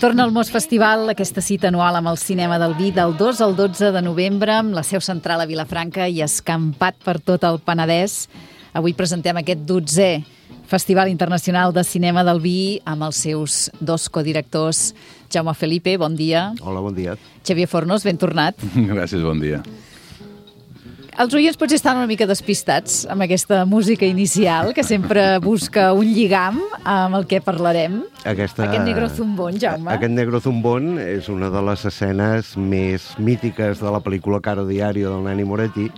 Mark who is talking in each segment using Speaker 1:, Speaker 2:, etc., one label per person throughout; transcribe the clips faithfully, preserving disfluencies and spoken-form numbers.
Speaker 1: Torna al Mos Festival, aquesta cita anual amb el cinema del vi del dos al dotze de novembre, amb la seu central a Vilafranca i escampat per tot el Penedès. Avui presentem aquest dotzè Festival Internacional de Cinema del Vi amb els seus dos codirectors. Jaume Felipe, bon dia.
Speaker 2: Hola, bon dia.
Speaker 1: Xavier Fornos, ben tornat.
Speaker 3: Gràcies, bon dia.
Speaker 1: Els oients potser estan una mica despistats amb aquesta música inicial, que sempre busca un lligam amb el que parlarem.
Speaker 2: Aquesta...
Speaker 1: Aquest negro zumbón, Jaume.
Speaker 2: Aquest negro zumbón és una de les escenes més mítiques de la pel·lícula Caro Diario del Nanni Moretti,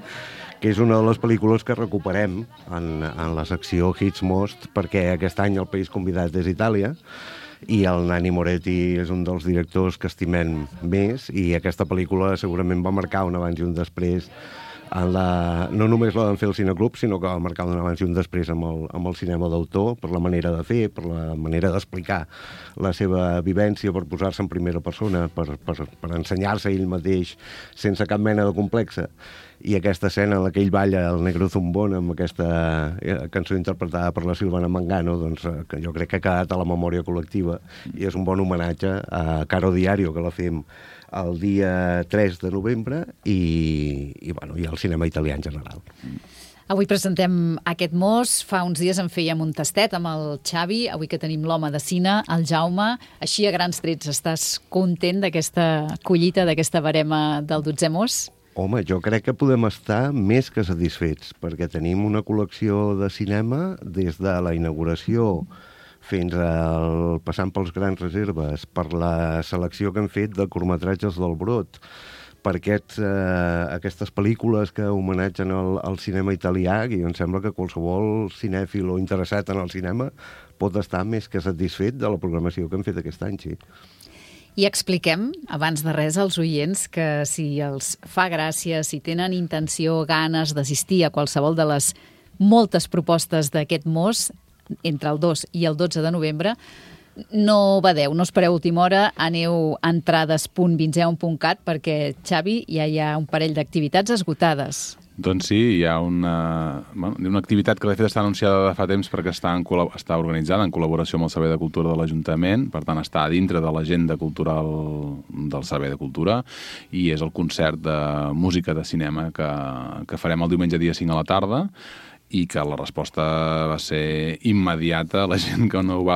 Speaker 2: que és una de les pel·lícules que recuperem en, en la secció Hits Most, perquè aquest any el país convidat és Itàlia, i el Nanni Moretti és un dels directors que estimem més, i aquesta pel·lícula segurament va marcar un abans i un després. En la, no només la van fer al Cineclub, sinó que va marcar un abans i un després amb el, amb el cinema d'autor, per la manera de fer, per la manera d'explicar la seva vivència, per posar-se en primera persona, per, per, per ensenyar-se ell mateix sense cap mena de complexa. I aquesta escena en la que ell balla el negro zumbón amb aquesta cançó interpretada per la Silvana Mangano, doncs, que jo crec que ha quedat a la memòria col·lectiva i és un bon homenatge a Caro Diario, que la fem el dia tres de novembre i, i, bueno, i al cinema italià en general.
Speaker 1: Avui presentem aquest Mos. Fa uns dies en fèiem un tastet amb el Xavi. Avui que tenim l'home de cine, el Jaume. Així, a grans trets, estàs content d'aquesta collita, d'aquesta barema del dotzè Mos?
Speaker 2: Home, jo crec que podem estar més que satisfets, perquè tenim una col·lecció de cinema des de la inauguració fins al, passant pels grans reserves, per la selecció que hem fet de curtmetratges del Brot, per aquests, eh, aquestes pel·lícules que homenatgen el, el cinema italià, i em sembla que qualsevol cinèfil o interessat en el cinema pot estar més que satisfet de la programació que hem fet aquest any, sí.
Speaker 1: I expliquem, abans de res, als oients que si els fa gràcia, si tenen intenció, ganes d'assistir a qualsevol de les moltes propostes d'aquest Mos, entre el dos i el dotze de novembre, no badeu, no espereu última hora, aneu a entrades punt vinzeum punt cat perquè, Xavi, ja hi ha un parell d'activitats esgotades.
Speaker 3: Doncs sí, hi ha una, bueno, una activitat que de fet està anunciada de fa temps perquè està, en, està organitzada en col·laboració amb el Servei de Cultura de l'Ajuntament, per tant està dintre de l'agenda cultural del Servei de Cultura, i és el concert de música de cinema que, que farem el diumenge dia cinc a la tarda, i que la resposta va ser immediata. La gent que no ho va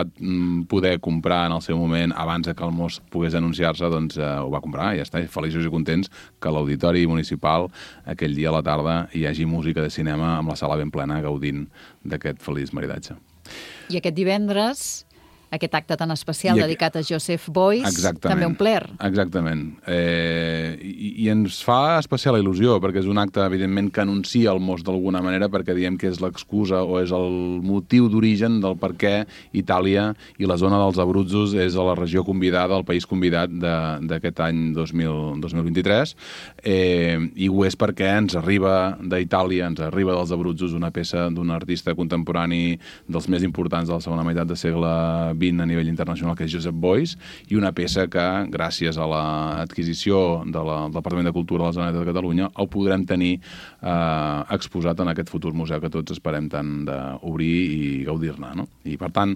Speaker 3: poder comprar en el seu moment abans que el Mos pogués anunciar-se, doncs eh, ho va comprar i ja està, feliços i contents que a l'Auditori Municipal aquell dia a la tarda hi hagi música de cinema amb la sala ben plena gaudint d'aquest feliç maridatge.
Speaker 1: I aquest divendres, aquest acte tan especial
Speaker 3: I
Speaker 1: dedicat a Joseph Beuys,
Speaker 3: exactament,
Speaker 1: també un plaer.
Speaker 3: Exactament. Eh, i, I ens fa especial il·lusió, perquè és un acte, evidentment, que anuncia el Mos d'alguna manera, perquè diem que és l'excusa o és el motiu d'origen del per què Itàlia i la zona dels Abruzzos és a la regió convidada, el país convidat d'aquest any dos mil vint-i-tres, eh, i ho és perquè ens arriba d'Itàlia, ens arriba dels Abruzzos una peça d'un artista contemporani dels més importants de la segona meitat de segle vint a nivell internacional, que és Joseph Beuys, i una peça que, gràcies a l'adquisició de la, del Departament de Cultura de la Generalitat de Catalunya, el podrem tenir eh, exposat en aquest futur museu que tots esperem tant d'obrir i gaudir-ne, no? I, per tant,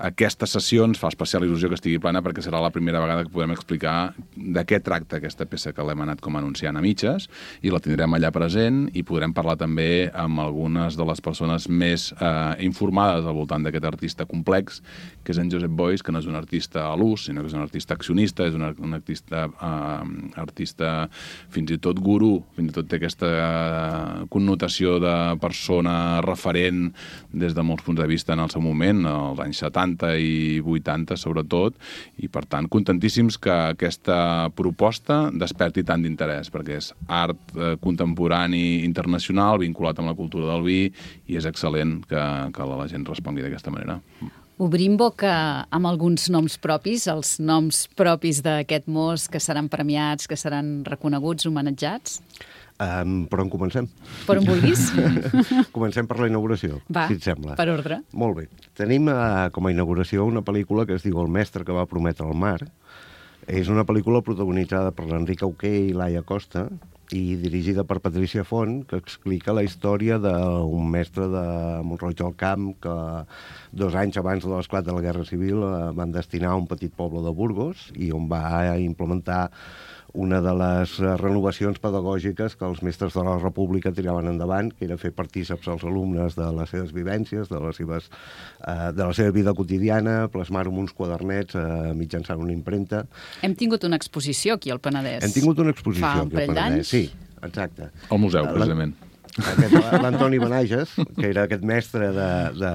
Speaker 3: aquesta sessió ens fa especial il·lusió que estigui plana perquè serà la primera vegada que podrem explicar de què tracta aquesta peça que l'hem anat com anunciant a mitges, i la tindrem allà present i podrem parlar també amb algunes de les persones més eh, informades al voltant d'aquest artista complex, que és en Joseph Beuys, que no és un artista a l'ús, sinó que és un artista accionista, és un, un artista, uh, artista fins i tot gurú, fins i tot té aquesta uh, connotació de persona referent des de molts punts de vista en el seu moment, als anys setanta i vuitanta sobretot, i per tant contentíssims que aquesta proposta desperti tant d'interès, perquè és art uh, contemporani internacional vinculat amb la cultura del vi, i és excel·lent que, que la gent respongui d'aquesta manera.
Speaker 1: Obrim boca amb alguns noms propis, els noms propis d'aquest Mos que seran premiats, que seran reconeguts, homenatjats?
Speaker 2: Um, per on comencem?
Speaker 1: Per on vulguis.
Speaker 2: Comencem per la inauguració,
Speaker 1: Va,
Speaker 2: si et sembla.
Speaker 1: per ordre.
Speaker 2: Molt bé. Tenim uh, com a inauguració una pel·lícula que es diu El mestre que va prometre el mar. És una pel·lícula protagonitzada per l'Enric Auqué i Laia Costa, i dirigida per Patricia Font, que explica la història d'un mestre de Mont-roig del Camp que dos anys abans de l'esclat de la Guerra Civil van destinar a un petit poble de Burgos i on va implementar una de les renovacions pedagògiques que els mestres de la República tiraven endavant, que era fer partíceps als alumnes de les seves vivències, de, les seves, eh, de la seva vida quotidiana, plasmar-ho en uns quadernets eh, mitjançant una impremta.
Speaker 1: Hem tingut una exposició aquí al Penedès.
Speaker 2: Hem tingut una exposició
Speaker 1: Fa un
Speaker 2: aquí al
Speaker 1: parell
Speaker 2: Penedès,
Speaker 1: d'anys?
Speaker 2: sí, exacte.
Speaker 3: Al museu, precisament.
Speaker 2: L'Antoni Benages, que era aquest mestre de, de,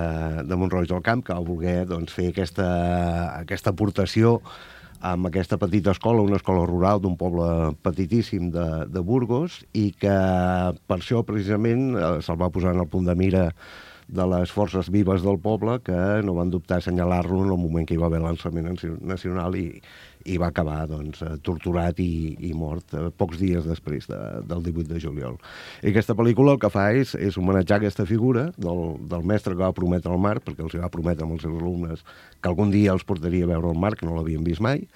Speaker 2: de Mont-roig del Camp, que va voler doncs, fer aquesta, aquesta aportació amb aquesta petita escola, una escola rural d'un poble petitíssim de, de Burgos, i que per això precisament se'l va posar en el punt de mira de les forces vives del poble, que no van dubtar a assenyalar-lo en el moment que hi va haver l'alçament nacional i, i va acabar doncs, torturat i, i mort pocs dies després de, del divuit de juliol. I aquesta pel·lícula el que fa és, és homenatjar aquesta figura del, del mestre que va prometre el mar, perquè els va prometre amb els seus alumnes que algun dia els portaria a veure el mar, que no l'havien vist mai,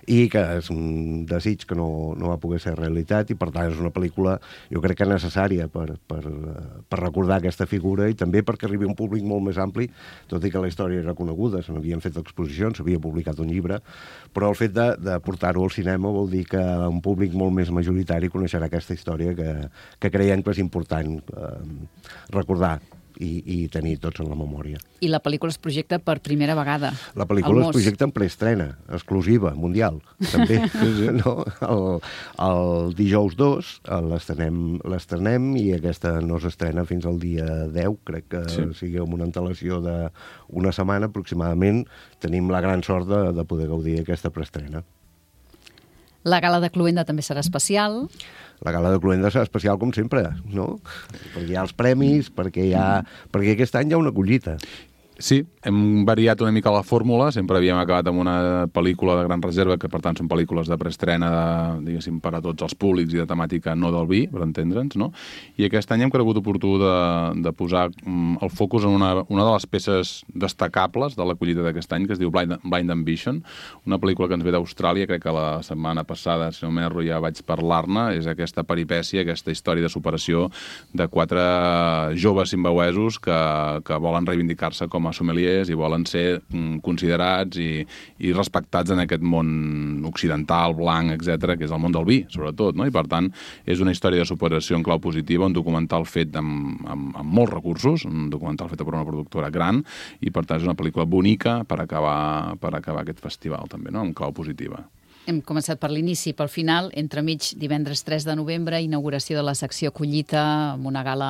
Speaker 2: i que és un desig que no, no va poder ser realitat, i per tant és una pel·lícula jo crec que necessària per, per, per recordar aquesta figura i també perquè arribi a un públic molt més ampli, tot i que la història era coneguda, se n'havien fet exposicions, s'havia publicat un llibre, però el fet de, de portar-ho al cinema vol dir que un públic molt més majoritari coneixerà aquesta història que, que creiem que és important eh, recordar i, i tenir tots en la memòria.
Speaker 1: I la pel·lícula es projecta per primera vegada.
Speaker 2: La pel·lícula es projecta en preestrena, exclusiva, mundial, també. No? El, el dijous dos l'estrenem i aquesta no s'estrena fins al dia deu, crec que sí. sigui amb una antelació d'una setmana aproximadament. Tenim la gran sort de, de poder gaudir d'aquesta preestrena.
Speaker 1: La gala de Cluenda també serà especial.
Speaker 2: La gala de Cluenda serà especial com sempre, no? Perquè hi ha els premis, perquè, hi ha... perquè aquest any hi ha una collita.
Speaker 3: Sí, hem variat una mica la fórmula, sempre havíem acabat amb una pel·lícula de gran reserva, que per tant són pel·lícules de preestrena, de, diguéssim, per a tots els públics i de temàtica no del vi, per entendre'ns, no? I aquest any hem cregut oportú de, de posar mm, el focus en una, una de les peces destacables de la collita d'aquest any, que es diu Blind, Blind Ambition, una pel·lícula que ens ve d'Austràlia, crec que la setmana passada, si no m'erro, ja vaig parlar-ne, és aquesta peripècia, aquesta història de superació de quatre joves zimbabwesos que, que volen reivindicar-se com a sommeliers i volen ser mm, considerats i, i respectats en aquest món occidental, blanc, etcètera, que és el món del vi, sobretot, no? I per tant és una història de superació en clau positiva, un documental fet amb, amb, amb molts recursos, un documental fet per una productora gran, i per tant és una pel·lícula bonica per acabar, per acabar aquest festival també, no? En clau positiva.
Speaker 1: Hem començat per l'inici, pel final, entremig divendres tres de novembre, inauguració de la secció Collita, amb una gala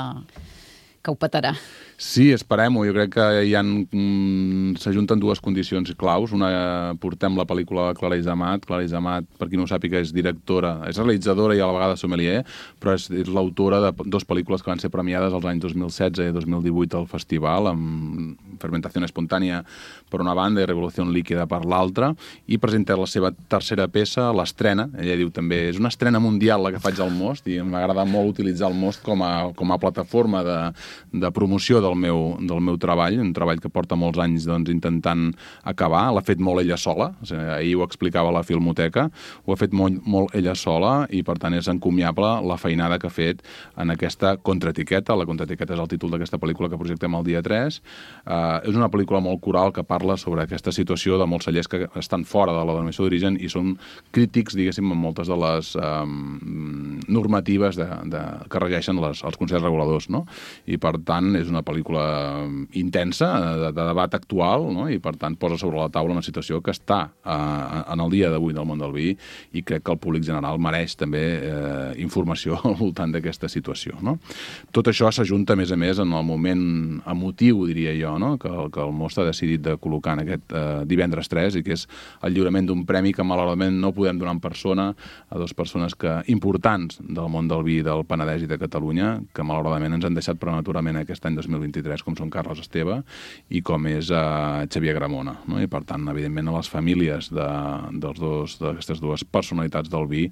Speaker 1: que ho petarà.
Speaker 3: Sí, esperem-ho. Jo crec que hi ha, mm, s'ajunten dues condicions claus. Una, portem la pel·lícula de Clara Isamat. Clara Isamat, per qui no ho sàpiga, és directora, és realitzadora i a la vegada sommelier, però és, és l'autora de dues pel·lícules que van ser premiades els anys dos mil setze i dos mil divuit al festival, amb Fermentació Espontània per una banda i Revolució Líquida per l'altra, i presenta la seva tercera peça, l'estrena. Ella diu també, és una estrena mundial la que faig al Most, i m'agrada molt utilitzar el Most com a, com a plataforma de, de promoció del meu, del meu treball, un treball que porta molts anys doncs, intentant acabar. L'ha fet molt ella sola, o sigui, ahir ho explicava a la Filmoteca, ho ha fet molt, molt ella sola i per tant és encomiable la feinada que ha fet en aquesta contraetiqueta. La contraetiqueta és el títol d'aquesta pel·lícula que projectem el dia tres. Uh, és una pel·lícula molt coral que parla sobre aquesta situació de molts cellers que estan fora de la denominació d'origen i són crítics, diguéssim, en moltes de les um, normatives de, de, que regeixen les, els consells reguladors, no? I per tant és una pel·lícula intensa, de, de debat actual, no? I per tant posa sobre la taula una situació que està eh, en el dia d'avui del món del vi i crec que el públic general mereix també eh, informació al voltant d'aquesta situació, no? Tot això s'ajunta, a més a més, en el moment emotiu, diria jo, no? que, que el Most ha decidit de col·locar en aquest eh, divendres tres i que és el lliurament d'un premi que malauradament no podem donar en persona a dues persones que, importants del món del vi del Penedès i de Catalunya, que malauradament ens han deixat prematurament aquest any dos mil vint-i-tres, com són Carles Esteve i com és uh, Xavier Gramona, no? I per tant, evidentment, a les famílies de, dels dos, d'aquestes dues personalitats del vi,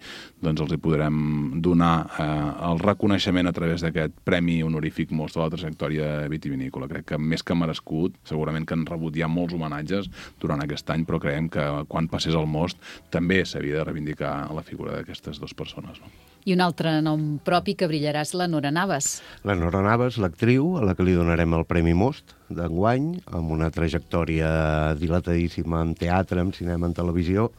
Speaker 3: doncs els hi podrem donar uh, el reconeixement a través d'aquest premi honorífic Most de la trajectòria vitivinícola. Crec que més que merescut, segurament que han rebut ja molts homenatges durant aquest any, però creiem que quan passés el Most també s'havia de reivindicar la figura d'aquestes dues persones, no?
Speaker 1: I un altre nom propi que brillarà és la Nora Navas.
Speaker 2: La Nora Navas, l'actriu, a la que li donarem el Premi Most d'enguany, amb una trajectòria dilatadíssima en teatre, en cinema, en televisió,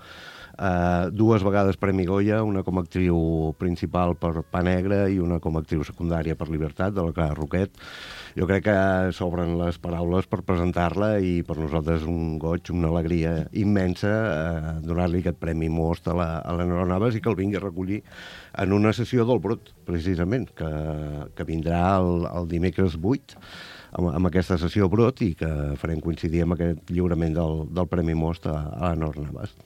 Speaker 2: Uh, dues vegades Premi Goya, una com a actriu principal per Pa Negre i una com a actriu secundària per Libertat, de la Clara Roquet. Jo crec que s'obren les paraules per presentar-la i per nosaltres un goig, una alegria immensa uh, donar-li aquest Premi Most a la, a la Nora Navas i que el vingui a recollir en una sessió del Brut, precisament, que, que vindrà el, el dimecres vuit amb, amb aquesta sessió Brut i que farem coincidir amb aquest lliurament del, del Premi Most a, a la Nora Navas.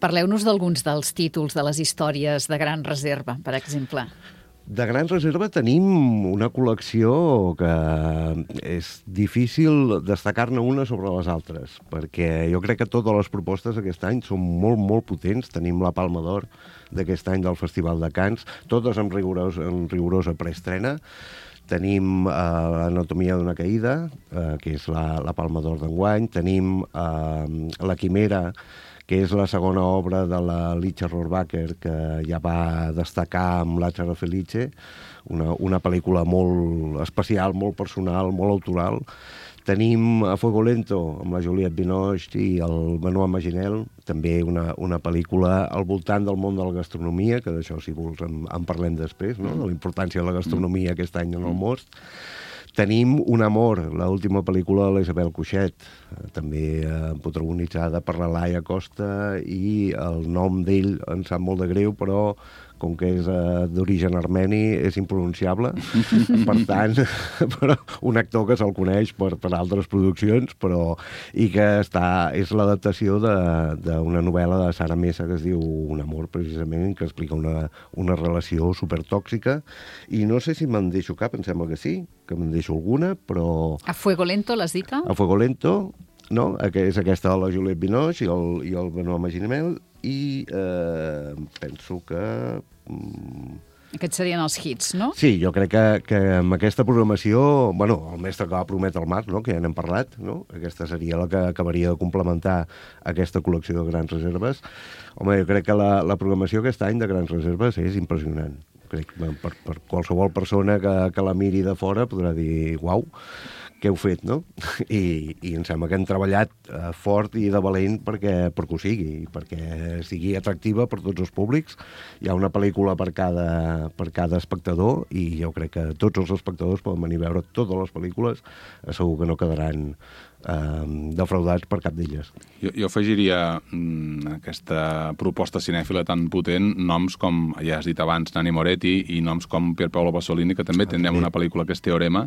Speaker 1: Parleu-nos d'alguns dels títols de les històries de Gran Reserva, per exemple.
Speaker 2: De Gran Reserva tenim una col·lecció que és difícil destacar-ne una sobre les altres, perquè jo crec que totes les propostes aquest any són molt, molt potents. Tenim la Palma d'Or d'aquest any del Festival de Canes, totes amb, rigorós, amb rigorosa preestrena. Tenim uh, l'Anatomia d'una caïda, uh, que és la, la Palma d'Or d'enguany. Tenim uh, La Quimera, que és la segona obra de la Licia Rohrwacher, que ja va destacar amb Lazzaro Felice, una, una pel·lícula molt especial, molt personal, molt autoral. Tenim A Fuego Lento, amb la Juliette Binoche i el Benoît Maginel, també una, una pel·lícula al voltant del món de la gastronomia, que d'això, si vols, en, en parlem després, no? De la importància de la gastronomia aquest any en el Most. Tenim Un amor, l'última pel·lícula de l'Isabel Cuixet, també eh, protagonitzada per la Laia Costa, i el nom d'ell em sap molt de greu, però com que és eh, d'origen armeni, és impronunciable. Per tant, però un actor que se'l coneix per, per altres produccions, però i que està, és l'adaptació d'una novel·la de Sara Mesa que es diu Un amor, precisament, que explica una, una relació supertòxica. I no sé si me'n deixo cap, em sembla que sí, que me'n deixo alguna, però...
Speaker 1: A Fuego Lento, l'has dit?
Speaker 2: A Fuego Lento, no? Que és aquesta de la Juliette Binoche i el, i el Benoît Maginel, i eh, penso que... Mm...
Speaker 1: Aquests serien els hits, no?
Speaker 2: Sí, jo crec que, que amb aquesta programació, bueno, el mestre que va prometre el Marc, no?, que ja n'hem parlat, no? Aquesta seria la que acabaria de complementar aquesta col·lecció de Grans Reserves. Home, jo crec que la, la programació aquest any de Grans Reserves és impressionant. Crec que per, per qualsevol persona que, que la miri de fora podrà dir, uau, què heu fet, no? I, i em sembla que hem treballat eh, fort i de valent perquè, perquè ho sigui, perquè sigui atractiva per tots els públics. Hi ha una pel·lícula per cada, per cada espectador i jo crec que tots els espectadors poden venir a veure totes les pel·lícules, segur que no quedaran eh, defraudats per cap d'elles.
Speaker 3: Jo, jo afegiria mm, aquesta proposta cinèfila tan potent, noms com, ja has dit abans, Nanni Moretti, i noms com Pier Paolo Pasolini, que també ah, tindrem també. Una pel·lícula que és Teorema,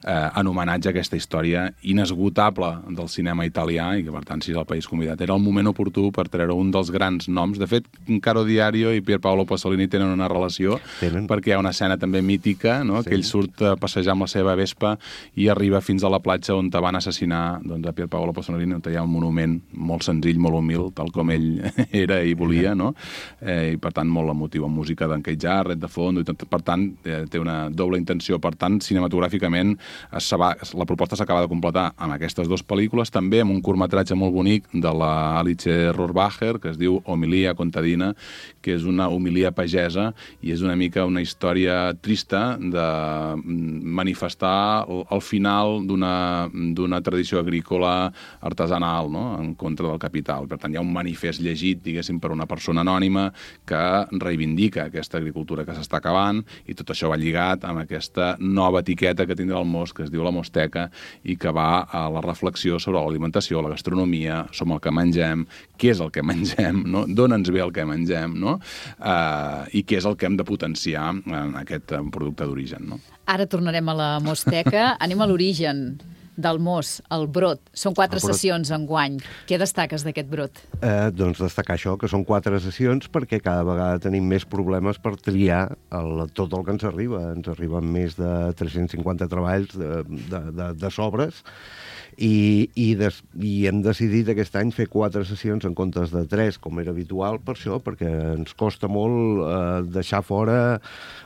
Speaker 3: eh, en homenatge a aquesta història inesgotable del cinema italià, i que, per tant, si és el país convidat, era el moment oportú per treure un dels grans noms. De fet, Caro Diario i Pier Paolo Pasolini tenen una relació, tenen. Perquè hi ha una escena també mítica, no? Sí. Que ell surt a passejar amb la seva Vespa i arriba fins a la platja on te van assassinar, doncs, a Pier Paolo Pasolini, on hi ha un monument molt senzill, molt humil, tal com ell era i volia, no? Eh, I, per tant, molt emotiu, amb música d'en Keith Jarrett, de fons, i tot, per tant, eh, té una doble intenció. Per tant, cinematogràficament, es va, la proposta s'acaba de completar amb aquestes dues pel·lícules, també amb un curtmetratge molt bonic de la Alice Rohrwacher, que es diu Homilia contadina, que és una homilia pagesa i és una mica una història trista de manifestar el final d'una tradició agrícola artesanal, no?, en contra del capital. Per tant, hi ha un manifest llegit, diguéssim, per una persona anònima que reivindica aquesta agricultura que s'està acabant, i tot això va lligat amb aquesta nova etiqueta que tindrà el Most, que es diu la Mosteca, i que va a la reflexió sobre l'alimentació, la gastronomia, som el que mengem, què és el que mengem, no? D'on ens ve el que mengem, no? Uh, i què és el que hem de potenciar en aquest producte d'origen, no?
Speaker 1: Ara tornarem a la Mosteca. Anem a l'origen del Most, el Brot. Són quatre sessions enguany. Què destaques d'aquest Brot?
Speaker 2: Eh, doncs destacar això, que són quatre sessions, perquè cada vegada tenim més problemes per triar el, tot el que ens arriba. Ens arriben més de tres-cents cinquanta treballs de, de, de, de sobres, i, i, des, i hem decidit aquest any fer quatre sessions en comptes de tres, com era habitual, per això, perquè ens costa molt eh, deixar fora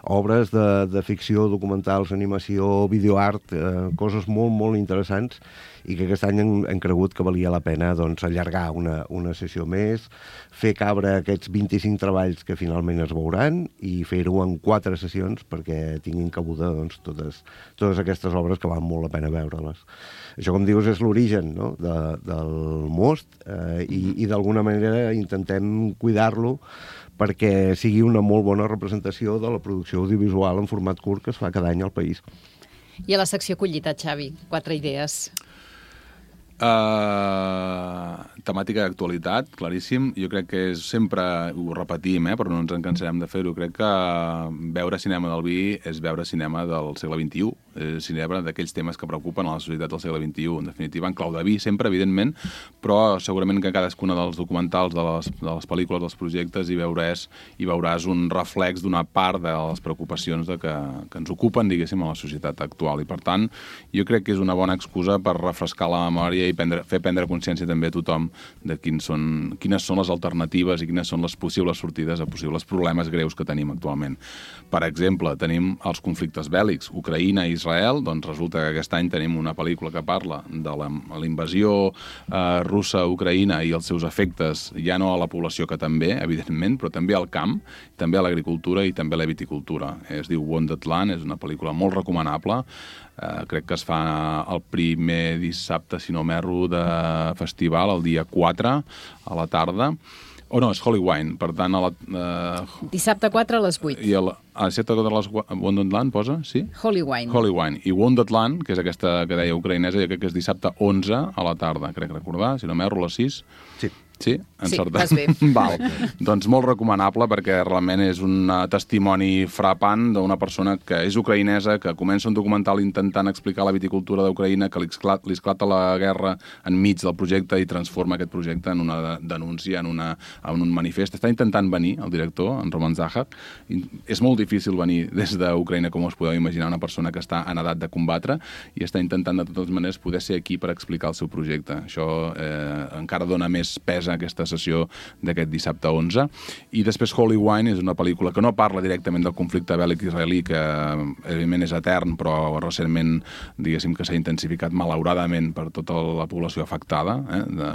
Speaker 2: obres de, de ficció, documentals, animació, videoart, eh, coses molt, molt interessants, i que aquest any hem, hem cregut que valia la pena doncs, allargar una, una sessió més, fer cabre aquests vint-i-cinc treballs que finalment es veuran i fer-ho en quatre sessions perquè tinguin cabuda doncs, totes, totes aquestes obres que val molt la pena veure-les. Això, com dius, és l'origen, no? de, del most eh, i, i d'alguna manera intentem cuidar-lo perquè sigui una molt bona representació de la producció audiovisual en format curt que es fa cada any al país.
Speaker 1: I a la secció collita, Xavi, quatre idees.
Speaker 3: Uh, temàtica d'actualitat, claríssim. Jo crec que és sempre, ho repetim, eh, però no ens en cansarem de fer-ho, crec que veure cinema del vi és veure cinema del segle vint-i-u, és cinema d'aquells temes que preocupen a la societat del segle vint-i-u, en definitiva, en clau de vi, sempre, evidentment, però segurament que cadascuna dels documentals, de les, de les pel·lícules, dels projectes, hi veuràs, hi veuràs un reflex d'una part de les preocupacions de que, que ens ocupen, diguéssim, a la societat actual. I, per tant, jo crec que és una bona excusa per refrescar la memòria i prendre, fer prendre consciència també a tothom de quins són, quines són les alternatives i quines són les possibles sortides a possibles problemes greus que tenim actualment. Per exemple, tenim els conflictes bèl·lics, Ucraïna i Israel, doncs resulta que aquest any tenim una pel·lícula que parla de la, la invasió eh, russa a Ucraïna i els seus efectes, ja no a la població, que també, evidentment, però també al camp, també a l'agricultura i també a la viticultura. Es diu Wounded Land, és una pel·lícula molt recomanable. Uh, crec que es fa el primer dissabte, si no m'erro, de festival, el dia quatre, a la tarda. O oh, no, és Holy Wine, per tant... A la, uh...
Speaker 1: Dissabte quatre a les vuit.
Speaker 3: I el, a dissabte quatre a les Wounded Land, posa? Sí?
Speaker 1: Holy Wine.
Speaker 3: Holy Wine. I Wounded Land, que és aquesta que deia ucraïnesa, jo crec que és dissabte onze a la tarda, crec recordar, si no m'erro, a les sis.
Speaker 2: Sí.
Speaker 3: Sí? Encertat.
Speaker 1: Sí, vas bé.
Speaker 3: Val. Doncs molt recomanable perquè realment és un testimoni frapant d'una persona que és ucraïnesa, que comença un documental intentant explicar la viticultura d'Ucraïna, que li esclata, li esclata la guerra enmig del projecte i transforma aquest projecte en una denúncia, en, una, en un manifest. Està intentant venir, el director, en Roman Zahak. És molt difícil venir des d'Ucraïna, com us podeu imaginar, una persona que està en edat de combatre i està intentant de totes maneres poder ser aquí per explicar el seu projecte. Això eh, encara dona més pes a aquesta sessió d'aquest dissabte onze. I després Holy Wine és una pel·lícula que no parla directament del conflicte bèl·lic israelí, que evidentment és etern, però recentment, diguéssim, que s'ha intensificat malauradament per tota la població afectada. Eh? De,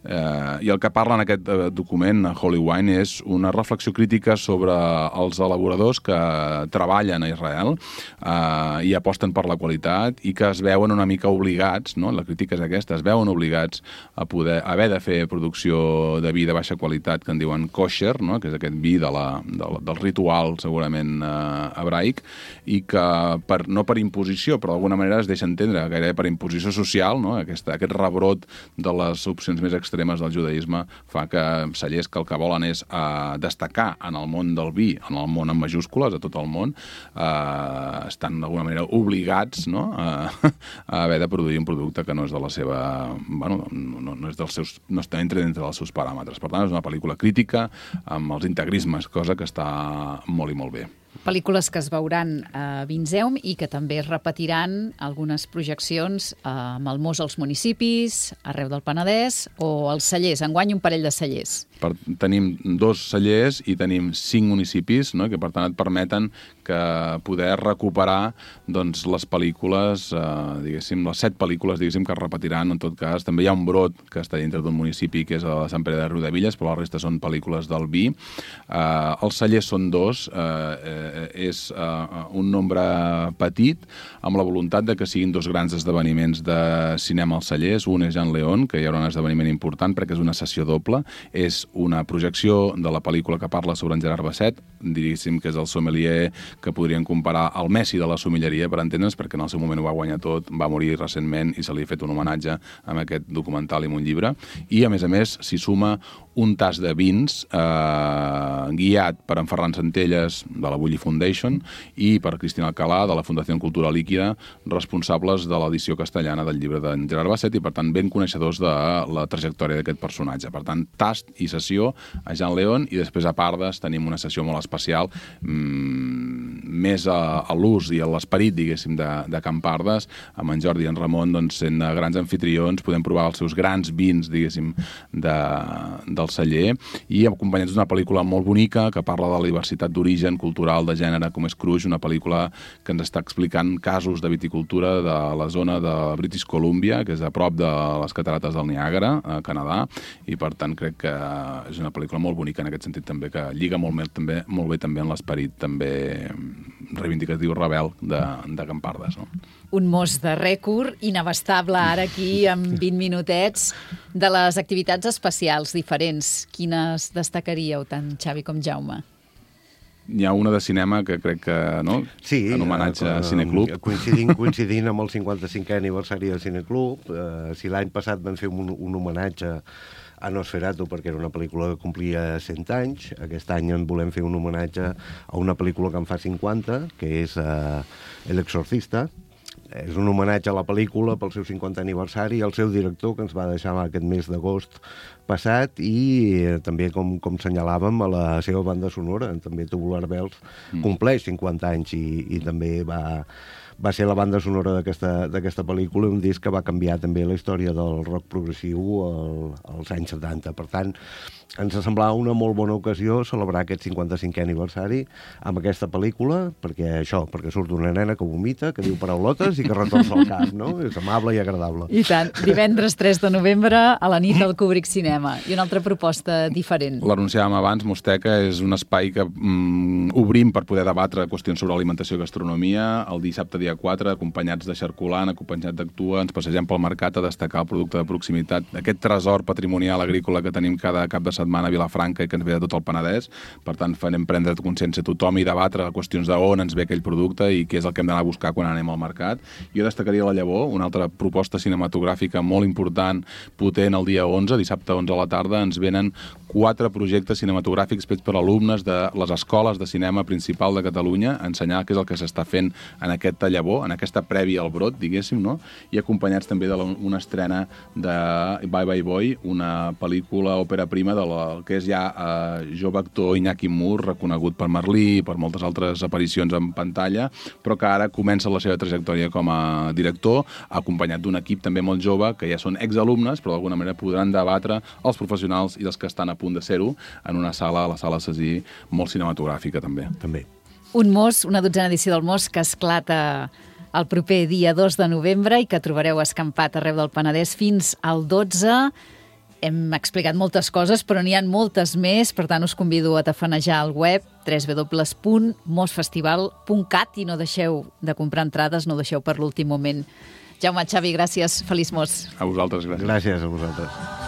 Speaker 3: eh, I el que parla en aquest eh, document, Holy Wine, és una reflexió crítica sobre els elaboradors que treballen a Israel eh, i aposten per la qualitat i que es veuen una mica obligats, no? La crítica és aquesta, es veuen obligats a poder haver de fer producció de vi de baixa qualitat que en diuen kosher, no? Que és aquest vi de la, de la, del ritual segurament eh, hebraic, i que per, no per imposició, però d'alguna manera es deixa entendre, gairebé per imposició social, no? Aquesta, aquest rebrot de les opcions més extremes del judaïsme fa que cellers que el que volen és eh, destacar en el món del vi, en el món en majúscules, a tot el món, eh, estan d'alguna manera obligats, no? a, a haver de produir un producte que no és de la seva... Bueno, no, no és dels seus... no està entre dintre dels seus paràmetres. Per tant, és una pel·lícula crítica amb els integrismes, cosa que està molt i molt bé.
Speaker 1: Pel·lícules que es veuran a Vinzeum i que també es repetiran algunes projeccions amb el Mos als municipis, arreu del Penedès, o als cellers. Enguany un parell de cellers.
Speaker 3: Per, tenim dos cellers i tenim cinc municipis, no? Que per tant et permeten que poder recuperar doncs, les pel·lícules, eh, diguéssim, les set pel·lícules diguéssim, que es repetiran. En tot cas, també hi ha un brot que està dintre d'un municipi, que és a Sant Pere de Riudevilles, però la resta són pel·lícules del vi. Eh, els cellers són dos, eh, eh, és eh, un nombre petit, amb la voluntat de que siguin dos grans esdeveniments de cinema als cellers. Un és Jean León, que hi haurà un esdeveniment important perquè és una sessió doble. És una projecció de la pel·lícula que parla sobre en Gerard Basset, diguéssim que és el sommelier que podrien comparar al Messi de la sommelleria, per entendre'ns, perquè en el seu moment ho va guanyar tot, va morir recentment i se li ha fet un homenatge amb aquest documental i amb un llibre. I, a més a més, s'hi suma un tas de vins eh, guiat per en Ferran Centelles de la Bulli Foundation i per Cristina Alcalà de la Fundació Cultura Líquida, responsables de l'edició castellana del llibre d'en Gerard Basset i, per tant, ben coneixedors de la trajectòria d'aquest personatge. Per tant, tast i sessió a Jean León i després a Pardes tenim una sessió molt especial mmm, més a, a l'ús i a l'esperit, diguéssim, de, de Can Pardes, amb en Jordi i en Ramon, doncs, sent grans anfitrions, podem provar els seus grans vins, diguéssim, de, del celler, i acompanyats d'una pel·lícula molt bonica que parla de la diversitat d'origen cultural de gènere com és Cruix, una pel·lícula que ens està explicant casos de viticultura de la zona de British Columbia, que és a prop de les catarates del Niàgara, a Canadà, i per tant crec que és una pel·lícula molt bonica en aquest sentit també, que lliga molt bé també, molt bé també en l'esperit també reivindicatiu rebel de, de Campardes, no?
Speaker 1: Un mos de rècord inabastable ara aquí amb vint minutets de les activitats especials diferents. Quines destacaríeu tant Xavi com Jaume?
Speaker 3: Hi ha una de cinema que crec que, no?
Speaker 2: Sí,
Speaker 3: en homenatge
Speaker 2: eh,
Speaker 3: a Cineclub.
Speaker 2: Coincidint, coincidint amb el cinquanta-cinquè aniversari del Cineclub, eh, si l'any passat van fer un, un homenatge a Nosferatu perquè era una pel·lícula que complia cent anys, aquest any en volem fer un homenatge a una pel·lícula que en fa cinquanta, que és eh, El Exorcista. És un homenatge a la pel·lícula pel seu cinquantè aniversari i al seu director, que ens va deixar aquest mes d'agost passat, i eh, també, com, com senyalàvem, a la seva banda sonora, també Tubular Bells, mm. compleix cinquanta anys i, i també va, va ser la banda sonora d'aquesta d'aquesta pel·lícula, un disc que va canviar també la història del rock progressiu al, als anys setanta. Per tant, ens semblava una molt bona ocasió celebrar aquest cinquanta-cinquè aniversari amb aquesta pel·lícula, perquè això, perquè surt una nena que vomita, que diu paraulotes i que retorça el cap, no? És amable i agradable.
Speaker 1: I tant. Divendres tres de novembre a la nit del Kubrick Cinema. I una altra proposta diferent.
Speaker 3: L'anunciàvem abans, Mosteca és un espai que mm, obrim per poder debatre qüestions sobre alimentació i gastronomia. El dissabte dia quatre, acompanyats de Xarculant, acompanyats d'Actua, ens passegem pel mercat a destacar el producte de proximitat, aquest tresor patrimonial agrícola que tenim cada cap de setmana a Vilafranca i que ens ve de tot el Penedès. Per tant, farem prendre consciència a tothom i debatre qüestions d'on ens ve aquell producte i què és el que hem d'anar a buscar quan anem al mercat. Jo destacaria La Llavor, una altra proposta cinematogràfica molt important, potent, el dia onze, dissabte onze a la tarda, ens venen quatre projectes cinematogràfics fets per alumnes de les escoles de cinema principal de Catalunya, a ensenyar què és el que s'està fent en aquest Llavor, en aquesta prèvia al brot, diguéssim, no? I acompanyats també d'una estrena de Bye Bye Boy, una pel·lícula òpera prima de la, que és ja eh, jove actor Iñaki Mur, reconegut per Merlí i per moltes altres aparicions en pantalla, però que ara comença la seva trajectòria com a director, acompanyat d'un equip també molt jove, que ja són exalumnes, però d'alguna manera podran debatre els professionals i els que estan a punt de ser-ho en una sala, la sala Cesí, molt cinematogràfica també.
Speaker 2: També.
Speaker 1: Un mos, una dotzena edició del mos que esclata el proper dia dos de novembre i que trobareu escampat arreu del Penedès fins al dotze. Hem explicat moltes coses, però n'hi ha moltes més, per tant us convido a tafanejar al web w w w punt mosfestival punt cat i no deixeu de comprar entrades, no deixeu per l'últim moment. Jaume, Xavi, gràcies. Feliç mos.
Speaker 3: A vosaltres, gràcies.
Speaker 2: Gràcies a vosaltres.